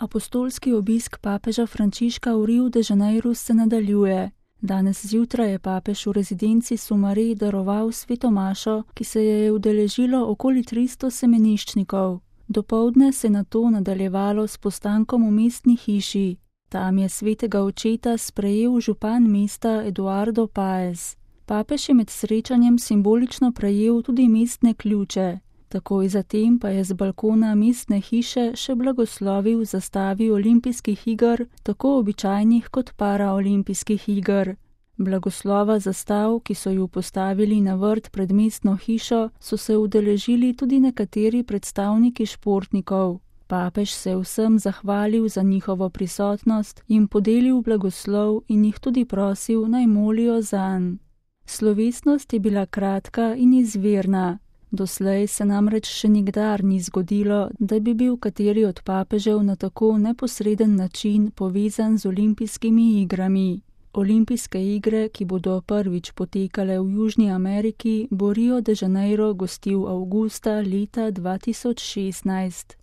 Apostolski obisk papeža Frančiška v Rio de Janeiro se nadaljuje. Danes zjutraj je papež v rezidenci Sumare daroval sveto mašo, ki se je udeležilo okoli 300 semeniščnikov. Dopoldne se je nato nadaljevalo s postankom v mestni hiši. Tam je svetega očeta sprejel župan mesta Eduardo Paez. Papež je med srečanjem simbolično prejel tudi mestne ključe. Takoj zatem pa je z balkona mestne hiše še blagoslovil zastavi olimpijskih iger, tako običajnih kot paraolimpijskih iger. Blagoslova zastav, ki so ju postavili na vrt pred mestno hišo, so se udeležili tudi nekateri predstavniki športnikov. Papež se je vsem zahvalil za njihovo prisotnost, jim podelil blagoslov in jih tudi prosil, naj molijo zanj. Slovesnost je bila kratka in izvirna. Doslej se namreč še nikdar ni zgodilo, da bi bil kateri od papežev na tako neposreden način povezan z olimpijskimi igrami. Olimpijske igre, ki bodo prvič potekale v Južni Ameriki, bo Rio de Janeiro gostil avgusta leta 2016.